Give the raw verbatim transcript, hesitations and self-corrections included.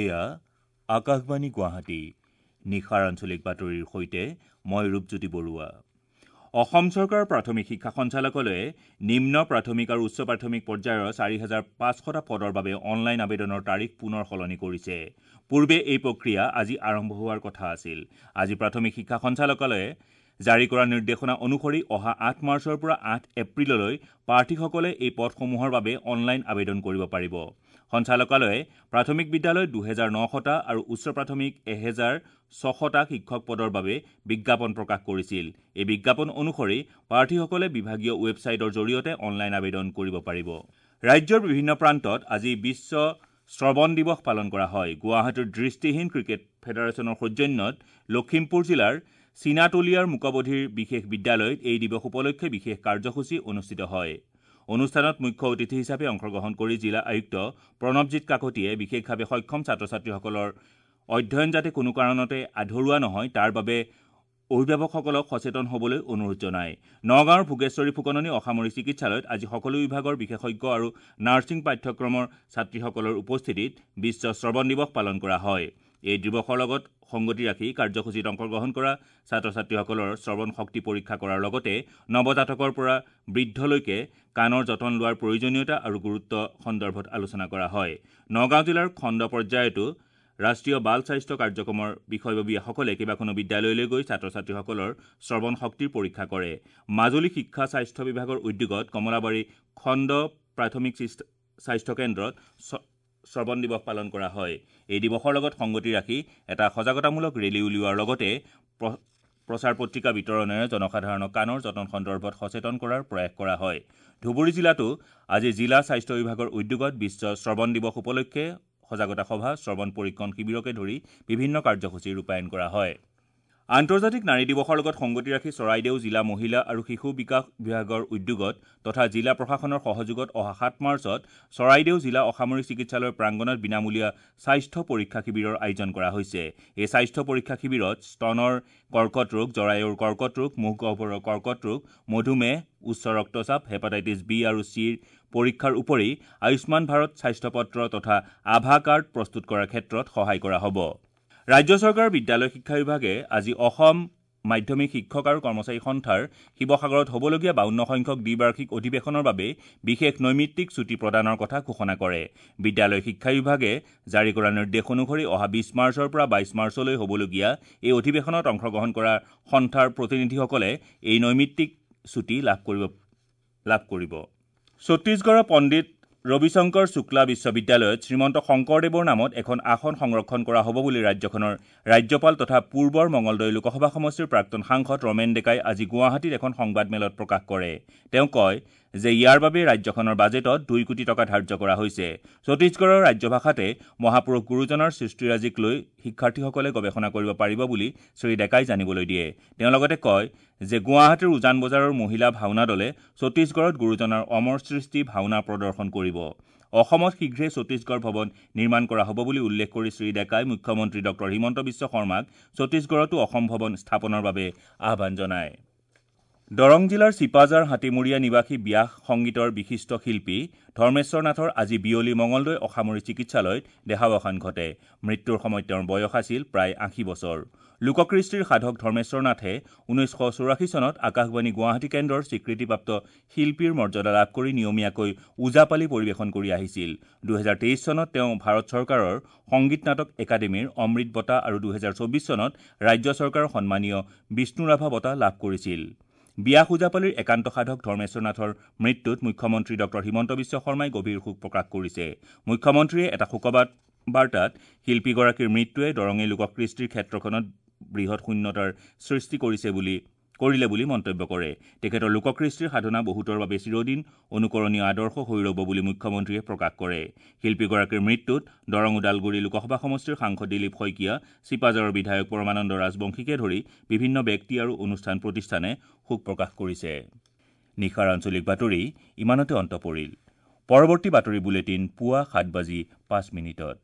এয়া আকাশবাণী গুৱাহাটী। নিশাৰ আঞ্চলিক বাতৰিৰ সৈতে মই ৰূপজ্যোতি বৰুৱা। অসম চৰকাৰৰ প্ৰাথমিক শিক্ষা সঞ্চালকালয়ে নিম্ন প্ৰাথমিক আৰু উচ্চ প্ৰাথমিক পৰ্যায়ৰ চাৰি হাজাৰ পাঁচশটা পদৰ বাবে অনলাইন আবেদনৰ তাৰিখ পুনৰ সলনি কৰিছে। পূৰ্বে এই প্ৰক্ৰিয়া আজি আৰম্ভ হোৱাৰ কথা আছিল। আজি প্ৰাথমিক শিক্ষা সঞ্চালকালয়ে জাৰি কৰা নিৰ্দেশনা অনুসৰি অহা আঠ মাৰ্চৰ পৰা আঠ এপ্ৰিললৈ প্ৰাৰ্থীসকলে এই পদসমূহৰ বাবে অনলাইন আবেদন কৰিব পাৰিব। সঞ্চালকালয়ে প্ৰাথমিক বিদ্যালয়ত দুহেজাৰ নশটা আৰু উচ্চ প্ৰাথমিক এহেজাৰ ছশটা শিক্ষক পদৰ বাবে বিজ্ঞাপন প্ৰকাশ কৰিছিল। এই বিজ্ঞাপন অনুসৰি প্ৰাৰ্থীসকলে বিভাগীয় ৱেবছাইটৰ জৰিয়তে অনলাইন আবেদন কৰিব পাৰিব। ৰাজ্যৰ বিভিন্ন প্ৰান্তত আজি বিশ্ব শ্ৰৱণ দিৱস পালন কৰা হয়। গুৱাহাটীৰ দৃষ্টিহীন ক্ৰিকেট ফেডাৰেশ্যনৰ সৌজন্যত লখিমপুৰ জিলাৰ চীনাতলীয়াৰ মুকবধিৰ বিশেষ বিদ্যালয়ত এই দিৱস উপলক্ষে বিশেষ কাৰ্যসূচী অনুষ্ঠিত হয়। অনুষ্ঠানত মুখ্য অতিথি হিচাপে অংশগ্ৰহণ কৰি জিলা আয়ুক্ত প্ৰণৱজিৎ কাকতিয়ে বিশেষভাৱে সক্ষম ছাত্ৰ ছাত্ৰীসকলৰ অধ্যয়ন যাতে কোনো কাৰণতে আধৰুৱা নহয় তাৰ বাবে অভিভাৱকসকলক সচেতন হ'বলৈ অনুৰোধ জনায়। নগাঁৱৰ ভোগেশ্বৰী ফুকননী অসামৰিক চিকিৎসালয়ত আজি সকলো বিভাগৰ বিশেষজ্ঞ আৰু নাৰ্ছিং পাঠ্যক্ৰমৰ ছাত্ৰীসকলৰ উপস্থিতিত বিশ্ব শ্ৰৱণ দিৱস পালন কৰা হয়। এই দিৱসৰ লগত সংগতি ৰাখি কাৰ্যসূচীত অংশগ্ৰহণ কৰা ছাত্ৰ ছাত্ৰীসকলৰ শ্ৰৱণ শক্তি পৰীক্ষা কৰাৰ লগতে নৱজাতকৰ পৰা বৃদ্ধলৈকে কাণৰ যতন লোৱাৰ প্ৰয়োজনীয়তা আৰু গুৰুত্ব সন্দৰ্ভত আলোচনা কৰা হয়। নগাঁও জিলাৰ খণ্ড পৰ্যায়তো ৰাষ্ট্ৰীয় বাল স্বাস্থ্য কাৰ্যক্ৰমৰ বিষয়ববীয়াসকলে কেইবাখনো বিদ্যালয়লৈ গৈ ছাত্ৰ ছাত্ৰীসকলৰ শ্ৰৱণ শক্তিৰ পৰীক্ষা কৰে। মাজুলী শিক্ষা স্বাস্থ্য বিভাগৰ উদ্যোগত কমলাবাৰী খণ্ড প্ৰাথমিক স্বাস্থ্য কেন্দ্ৰত শ্ৰৱণ দিৱস পালন কৰা হয়। এই দিৱসৰ লগত সংগতি ৰাখি এটা সজাগতামূলক ৰেলী উলিওৱাৰ লগতে প্ৰচাৰ পত্ৰিকা বিতৰণেৰে জনসাধাৰণক কাণৰ যতন সন্দৰ্ভত সচেতন কৰাৰ প্ৰয়াস কৰা হয়। ধুবুৰী জিলাতো আজি জিলা স্বাস্থ্য বিভাগৰ উদ্যোগত বিশ্ব শ্ৰৱণ দিৱস উপলক্ষে সজাগতা সভা, শ্ৰৱণ পৰীক্ষণ শিবিৰকে ধৰি বিভিন্ন কাৰ্যসূচী ৰূপায়ণ কৰা হয়। আন্তৰ্জাতিক নাৰী দিৱসৰ লগত সংগতি ৰাখি চৰাইদেউ জিলা মহিলা আৰু শিশু বিকাশ বিভাগৰ উদ্যোগত তথা জিলা প্ৰশাসনৰ সহযোগত অহা সাত মাৰ্চত চৰাইদেউ জিলা অসামৰিক চিকিৎসালয়ৰ প্ৰাংগণত বিনামূলীয়া স্বাস্থ্য পৰীক্ষা শিবিৰৰ আয়োজন কৰা হৈছে। এই স্বাস্থ্য পৰীক্ষা শিবিৰত স্তনৰ কৰ্কট ৰোগ, জৰায়ুৰ কৰ্কট ৰোগ, মুখ গহ্বৰৰ কৰ্কট ৰোগ, মধুমেহ, উচ্চ ৰক্তচাপ, হেপাটাইটিছ বি আৰু চিৰ পৰীক্ষাৰ উপৰি আয়ুষ্মান ভাৰত স্বাস্থ্যপত্ৰ তথা আভা কাৰ্ড প্ৰস্তুত কৰাৰ ক্ষেত্ৰত সহায় কৰা হ'ব। ৰাজ্য চৰকাৰৰ বিদ্যালয় শিক্ষা বিভাগে আজি অসম মাধ্যমিক শিক্ষক আৰু কৰ্মচাৰী সন্থাৰ শিৱসাগৰত হ'বলগীয়া বাৱন্ন সংখ্যক দ্বিবাৰ্ষিক অধিৱেশনৰ বাবে বিশেষ নৈমিত্তিক ছুটী প্ৰদানৰ কথা ঘোষণা কৰে। বিদ্যালয় শিক্ষা বিভাগে জাৰি কৰা নিৰ্দেশ অনুসৰি অহা বিছ মাৰ্চৰ পৰা বাইছ মাৰ্চলৈ হ'বলগীয়া এই অধিৱেশনত অংশগ্ৰহণ কৰা সন্থাৰ প্ৰতিনিধিসকলে এই নৈমিত্তিক ছুটী লাভ কৰিব লাভ কৰিব। ছত্তীশগড়ৰ পণ্ডিত ৰবিশংকৰ শুক্লা বিশ্ববিদ্যালয়ত শ্ৰীমন্ত শংকৰদেৱৰ নামত এখন আসন সংৰক্ষণ কৰা হ'ব বুলি ৰাজ্যখনৰ ৰাজ্যপাল তথা পূৰ্বৰ মঙলদৈ লোকসভা সমষ্টিৰ প্ৰাক্তন সাংসদ ৰমেন ডেকাই আজি গুৱাহাটীত এখন সংবাদমেলত প্ৰকাশ কৰে। তেওঁ কয় যে ইয়াৰ বাবে ৰাজ্যখনৰ বাজেটত দুই কোটি টকা ধাৰ্য কৰা হৈছে। ছত্তীশগড়ৰ ৰাজ্যভাষাতে মহাপুৰুষ গুৰুজনাৰ সৃষ্টিৰাজিক লৈ শিক্ষাৰ্থীসকলে গৱেষণা কৰিব পাৰিব বুলি শ্ৰী ডেকাই জানিবলৈ দিয়ে। তেওঁ লগতে কয় যে গুৱাহাটীৰ উজান বজাৰৰ মহিলা ভাওনা দলে ছত্তীশগড়ত গুৰুজনাৰ অমৰ সৃষ্টি ভাওনা প্ৰদৰ্শন কৰিব। অসমত শীঘ্ৰে ছত্তীশগড় ভৱন নিৰ্মাণ কৰা হ'ব বুলি উল্লেখ কৰি শ্ৰী ডেকাই মুখ্যমন্ত্ৰী ডক্টৰ হিমন্ত বিশ্ব শৰ্মাক ছত্তীশগড়তো অসম ভৱন স্থাপনৰ বাবে আহ্বান জনায়। দৰং জিলাৰ চিপাঝাৰ হাতীমূৰীয়া নিবাসী ব্যাস সংগীতৰ বিশিষ্ট শিল্পী ধৰ্মেশ্বৰ নাথৰ আজি বিয়লি মঙলদৈ অসামৰিক চিকিৎসালয়ত দেহাৱসান ঘটে। মৃত্যুৰ সময়ত তেওঁৰ বয়স আছিল প্ৰায় আশী বছৰ। লোককৃষ্টিৰ সাধক ধৰ্মেশ্বৰ নাথে ঊনৈছশ চৌৰাশী চনত আকাশবাণী গুৱাহাটী কেন্দ্ৰৰ স্বীকৃতিপ্ৰাপ্ত শিল্পীৰ মৰ্যাদা লাভ কৰি নিয়মীয়াকৈ ওজাপালি পৰিৱেশন কৰি আহিছিল। দুহেজাৰ তেইছ চনত তেওঁ ভাৰত চৰকাৰৰ সংগীত নাটক একাডেমীৰ অমৃত বঁটা আৰু দুহেজাৰ চৌবিছ চনত ৰাজ্য চৰকাৰৰ সন্মানীয় বিষ্ণুৰাভা বঁটা লাভ কৰিছিল। ব্যাস ওজাপালিৰ একান্ত সাধক ধৰ্মেশ্বৰ নাথৰ মৃত্যুত মুখ্যমন্ত্ৰী ডক্টৰ হিমন্ত বিশ্ব শৰ্মাই গভীৰ শোক প্ৰকাশ কৰিছে। মুখ্যমন্ত্ৰীয়ে এটা শোকবাৰ্তাত শিল্পীগৰাকীৰ মৃত্যুৱে দৰঙী লোককৃষ্টিৰ ক্ষেত্ৰখনত বৃহৎ শূন্যতাৰ সৃষ্টি কৰিছে বুলি কৰিলে বুলি মন্তব্য কৰে। তেখেতৰ লোককৃষ্টিৰ সাধনা বহুতৰ বাবে চিৰদিন অনুকৰণীয় আদৰ্শ হৈ ৰ'ব বুলি মুখ্যমন্ত্ৰীয়ে প্ৰকাশ কৰে। শিল্পীগৰাকীৰ মৃত্যুত দৰং ওদালগুৰি লোকসভা সমষ্টিৰ সাংসদ দিলীপ শইকীয়া, চিপাঝাৰৰ বিধায়ক পৰমানন্দ ৰাজবংশীকে ধৰি বিভিন্ন ব্যক্তি আৰু অনুষ্ঠান প্ৰতিষ্ঠানে শোক প্ৰকাশ কৰিছে। নিশাৰ আঞ্চলিক বাতৰি ইমানতে অন্ত পৰিল। পৰৱৰ্তী বাতৰি বুলেটিন পুৱা সাত বাজি পাঁচ মিনিটত।